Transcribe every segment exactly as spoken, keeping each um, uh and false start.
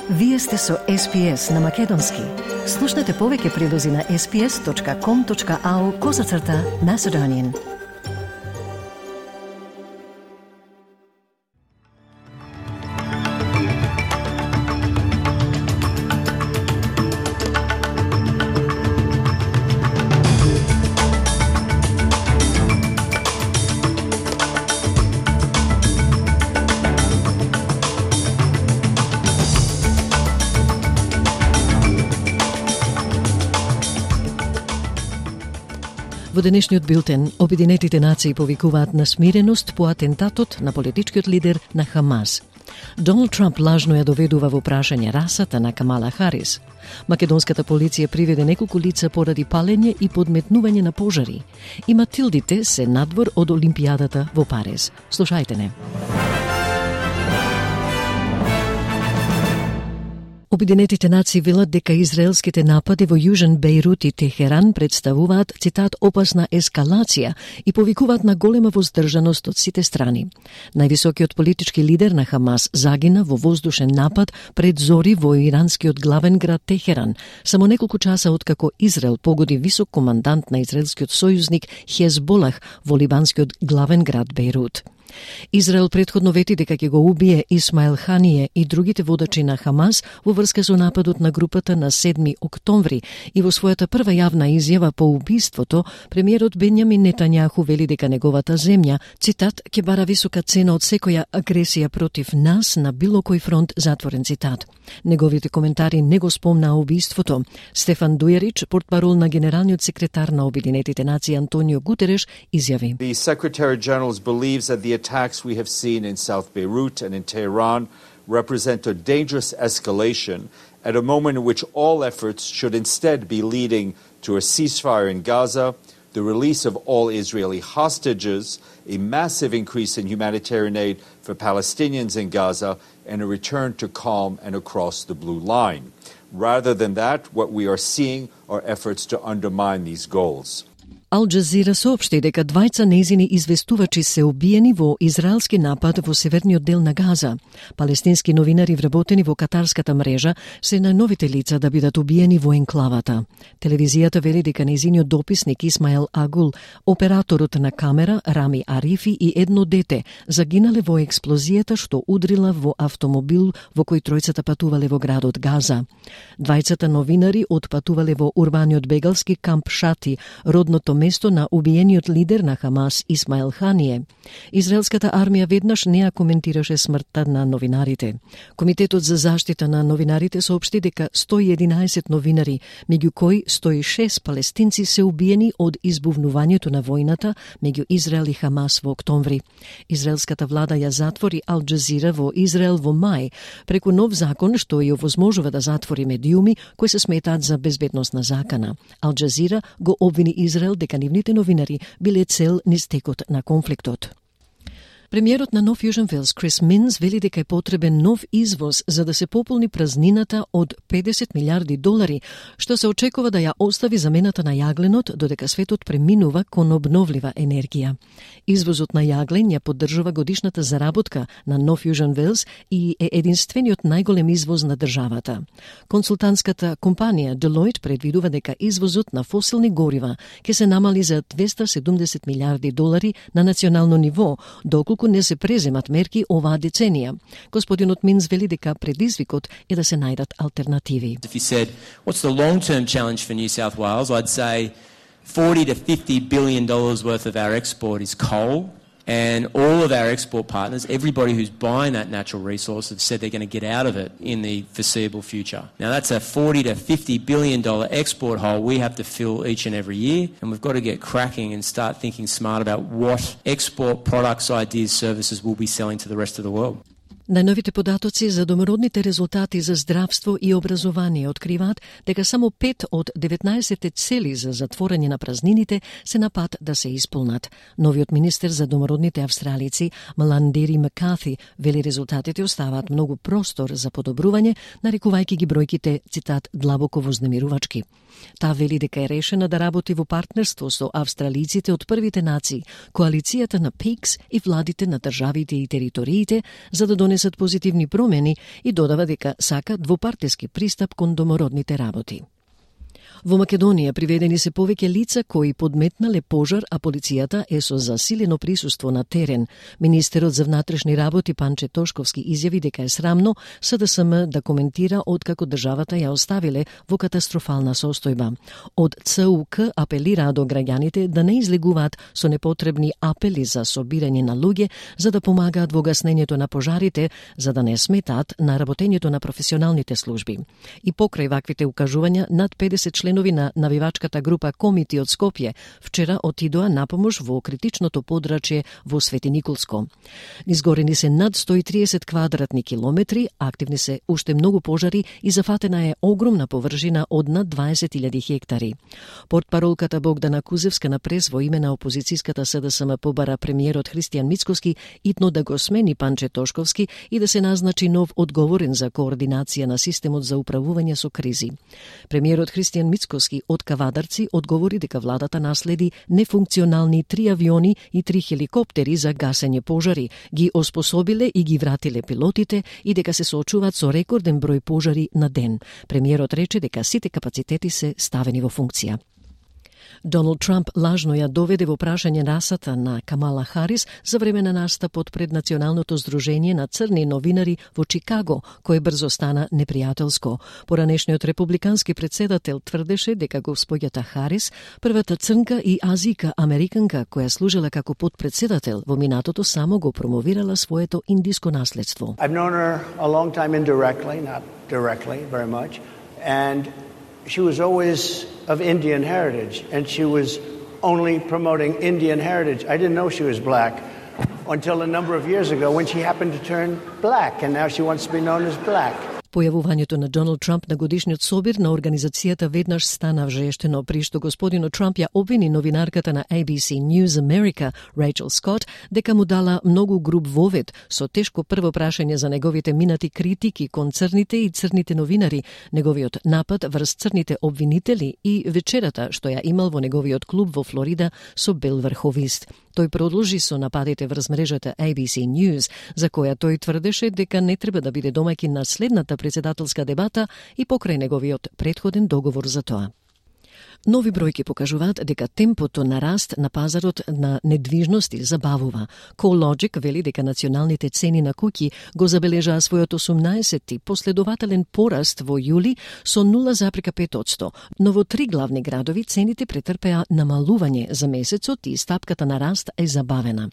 Вие сте со Ес Би Ес на Македонски. Слушнете повеќе прилози на ес би ес точка ком точка ау козацрта Macedonian. Во денешниот билтен, Обединетите нации повикуваат на смиреност по атентатот на политичкиот лидер на Хамас. Доналд Трамп лажно ја доведува во прашање расата на Камала Харис. Македонската полиција приведе неколку лица поради палење и подметнување на пожари. И Матилдите се надвор од Олимпијадата во Париз. Слушајте не. Обединетите нации велат дека израелските напади во Јужен Бејрут и Техеран представуваат, цитат, опасна ескалација и повикуваат на голема воздржаност од сите страни. Највисокиот политички лидер на Хамас загина во воздушен напад пред зори во иранскиот главен град Техеран, само неколку часа откако Израел погоди висок командант на израелскиот сојузник Хезболах во либанскиот главен град Бејрут. Израел претходно вети дека ќе го убие Исмаил Хание и другите водачи на Хамас во врска со нападот на групата на седми октомври и во својата прва јавна изјава по убиството, премиерот Бенјамин Нетањаху вели дека неговата земја, цитат, ќе бара висока цена од секоја агресија против нас на било кој фронт, затворен цитат. Неговите коментари не го спомнаа убиството. Стефан Дујарич, портпарол на генералниот секретар на Обединетите нации Антонио Гутереш, изјави: The Secretary General believes that the attacks we have seen in South Beirut and in Tehran represent a dangerous escalation at a moment in which all efforts should instead be leading to a ceasefire in Gaza, the release of all Israeli hostages, a massive increase in humanitarian aid for Palestinians in Gaza, and a return to calm and across the blue line. Rather than that, what we are seeing are efforts to undermine these goals. Ал Джазира соопшти дека двајца нејзини известувачи се убиени во израелски напад во северниот дел на Газа. Палестински новинари вработени во катарската мрежа се најновите лица да бидат убиени во енклавата. Телевизијата вели дека нејзиниот дописник Исмаел Агул, операторот на камера Рами Арифи и едно дете загинале во експлозијата што удрила во автомобил во кој тројцата патувале во градот Газа. Двајцата новинари отпатувале во урбаниот бегалски камп Шати, родното место на убиениот лидер на Хамас Исмаил Хание. Израелската армија веднаш не ја коментираше смртта на новинарите. Комитетот за заштита на новинарите соопшти дека сто и единаесет новинари, меѓу кои сто и шест палестинци, се убиени од избувнувањето на војната меѓу Израел и Хамас во октомври. Израелската влада ја затвори Ал Джазира во Израел во мај, преку нов закон што ја овозможува да затвори медиуми кои се сметаат за безбедносна закана. Ал Джазира го обвини Израел дека нивните новинари биле цел низ текот на конфликтот. Премиерот на Нов Јужен Велс Крис Минс вели дека е потребен нов извоз за да се пополни празнината од педесет милиарди долари, што се очекува да ја остави замената на јагленот додека светот преминува кон обновлива енергија. Извозот на јаглен ја поддржува годишната заработка на Нов Јужен Велс и е единствениот најголем извоз на државата. Консултантската компанија Deloitte предвидува дека извозот на фосилни горива ќе се намали за двеста седумдесет милиарди долари на национално ниво, доколку не се преземат мерки оваа деценија. Господинот Минс вели дека предизвикот е да се најдат алтернативи. If you said, what's the long-term challenge for New South Wales, I'd say forty to fifty billion dollars worth of our export is coal, and all of our export partners, everybody who's buying that natural resource, have said they're going to get out of it in the foreseeable future. Now that's a forty to fifty billion dollars export hole we have to fill each and every year, and we've got to get cracking and start thinking smart about what export products, ideas, services we'll be selling to the rest of the world. Најновите податоци за домородните резултати за здравство и образование откриваат дека само пет од деветнаесет цели за затворање на празнините се на пат да се исполнат. Новиот министер за домородните австралици Маландери Маккарти вели резултатите оставаат многу простор за подобрување, нарекувајќи ги бројките, цитат, длабоко вознемирувачки. Таа вели дека е решена да работи во партнерство со австралиците од првите нации, коалицијата на ПИКС и владите на државите и териториите за да донесе донесат позитивни промени и додава дека сака двопартиски пристап кон домородните работи. Во Македонија приведени се повеќе лица кои подметнале пожар, а полицијата е со засилено присуство на терен. Министерот за внатрешни работи Панче Тошковски изјави дека е срамно СДСМ да коментира откако државата ја оставиле во катастрофална состојба. Од ЦУК апелираа до граѓаните да не излегуваат со непотребни апели за собирање на луѓе за да помагаат во гаснењето на пожарите, за да не сметаат на работењето на професионалните служби. И покрај ваквите укажувања, над педесет членови на навивачката група Комити од Скопје вчера отидоа на помош во критичното подрачје во Свети Николско. Изгорени се над сто и триесет квадратни километри, активни се уште многу пожари и зафатена е огромна површина од над дваесет илјади хектари. Портпаролката Богдана Кузевска на прес во име на опозицијската СДСМ побара премиерот Христијан Мицкоски итно да го смени Панче Тошковски и да се назначи нов одговорен за координација на системот за управување со кризи. Премиерот Христијан Мицкоски од Кавадарци одговори дека владата наследи нефункционални три авиони и три хеликоптери за гасење пожари, ги оспособиле и ги вратиле пилотите и дека се соочуваат со рекорден број пожари на ден. Премиерот рече дека сите капацитети се ставени во функција. Доналд Трамп лажно ја доведе во прашање расата на Камала Харис за време на настапот пред Националното здружение на црни новинари во Чикаго, кој брзо стана непријателско. Поранешниот републикански председател тврдеше дека госпоѓата Харис, првата црнка и азика американка која служела како подпредседател во минатото, само го промовирала своето индиско наследство. I've known her a long time indirectly, not directly very much, and she was always of Indian heritage, and she was only promoting Indian heritage. I didn't know she was black until a number of years ago when she happened to turn black, and now she wants to be known as black. Појавувањето на Доналд Трамп на годишниот собир на организацијата веднаш стана вжештено, при што господинот Трамп ја обвини новинарката на A B C News America, Рейчел Скот, дека му дала многу груб вовед со тешко прво прашање за неговите минати критики кон црните и црните новинари, неговиот напад врз црните обвинители и вечерата што ја имал во неговиот клуб во Флорида со бел врховист. Тој продолжи со нападите врз мрежата A B C News, за која тој тврдеше дека не треба да биде домаќин на следната председателска дебата и покрај неговиот претходен договор за тоа. Нови бројки покажуваат дека темпото на раст на пазарот на недвижности забавува. CoreLogic вели дека националните цени на куќи го забележаа својот осумнаесети последователен пораст во јули со нула запирка пет одсто, но во три главни градови цените претрпеа намалување за месецот и стапката на раст е забавена.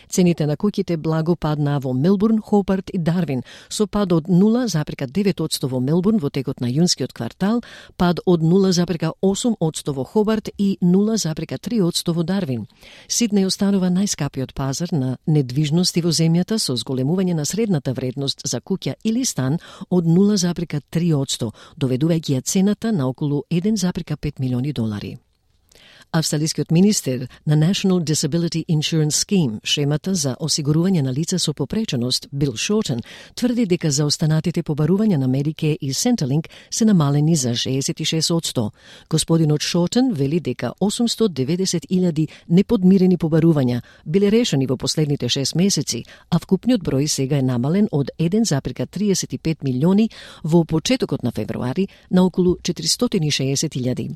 Цените на куќите благо паднаа во Мелбурн, Хобарт и Дарвин, со пад од нула запирка девет одсто во Мелбурн во текот на јунскиот квартал, пад од нула запирка осум одсто во Хобарт и нула запирка три одсто во Дарвин. Сиднеј останува најскапиот пазар на недвижности во земјата со зголемување на средната вредност за куќа или стан од нула запирка три одсто, доведувајќи ја цената на околу еден запирка пет милиони долари. Австралискиот министер на National Disability Insurance Scheme, шемата за осигурување на лица со попреченост, Бил Шортен, тврди дека за останатите побарувања на Medicare и Centrelink се намалени за шеесет и шест одсто. Господинот Шортен вели дека осумстотини и деветдесет илјади неподмирени побарувања биле решени во последните шест месеци, а вкупниот број сега е намален од еден запирка триесет и пет милиони во почетокот на февруари на околу четиристотини и шеесет илјади.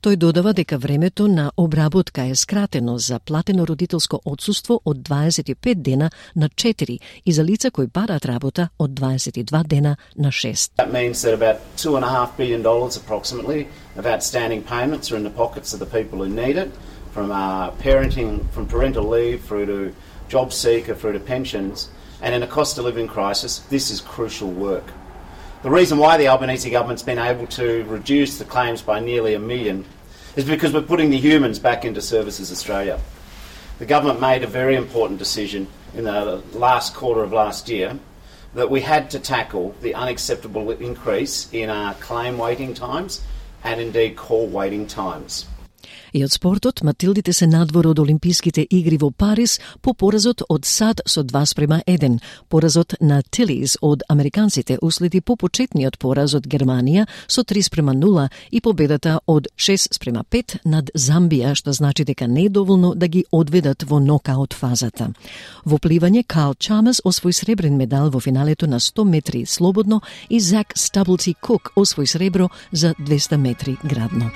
Тој додава дека времето на обработка е скратено за платено родителско отсуство од дваесет и пет дена на четири и за лица кои бараат работа од дваесет и два дена на шест. That means that about two and a half billion dollars approximately of outstanding payments are in the pockets of the people who need it, from uh, parenting, from parental leave through to job seeker through to pensions, and in a cost of living crisis, this is crucial work. The reason why the Albanese government's been able to reduce the claims by nearly a million is because we're putting the humans back into Services Australia. The government made a very important decision in the last quarter of last year that we had to tackle the unacceptable increase in our claim waiting times and indeed call waiting times. И од спортот, Матилдите се надвор од Олимписките игри во Париз по поразот од САД со два спрема еден. Поразот на Тилис од американците уследи по почетниот пораз од Германија со три спрема нула и победата од шест спрема пет над Замбија, што значи дека не е доволно да ги одведат во нокаут фазата. Во пливање, Карл Чамас освои сребрен медал во финалето на сто метри слободно и Зак Стаблти Кук освои сребро за двеста метри градно.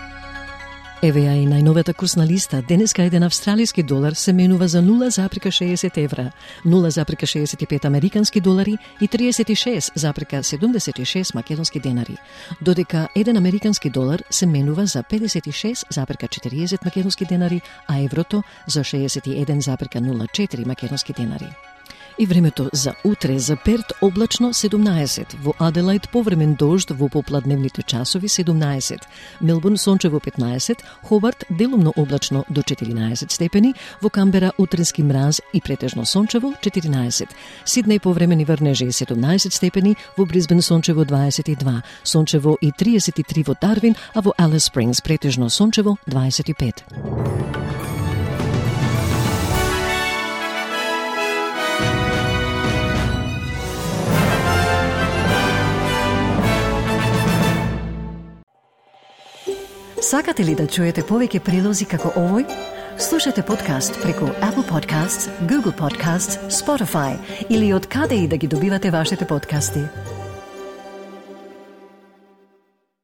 Еве ја и најновата курсна листа. Денеска еден австралиски долар се менува за нула запирка шеесет евра, нула запирка шеесет и пет американски долари и триесет и шест запирка седумдесет и шест македонски денари, додека еден американски долар се менува за педесет и шест запирка четириесет македонски денари, а еврото за шеесет и еден запирка нула четири македонски денари. И времето за утре: за Перт облачно седумнаесет, во Аделајд повремен дожд во попладневните часови седумнаесет, Мелбурн сончево петнаесет, Хобарт делумно облачно до четиринаесет степени, во Камбера утренски мраз и претежно сончево четиринаесет, Сиднеј повремени врнежи седумнаесет степени, во Брисбен сончево дваесет и два, сончево и триесет и три во Дарвин, а во Алис Спрингс претежно сончево дваесет и пет. Сакате ли да чуете повеќе прилози како овој? Слушате подкаст преку Apple Podcasts, Google Podcasts, Spotify или од каде и да ги добивате вашите подкасти.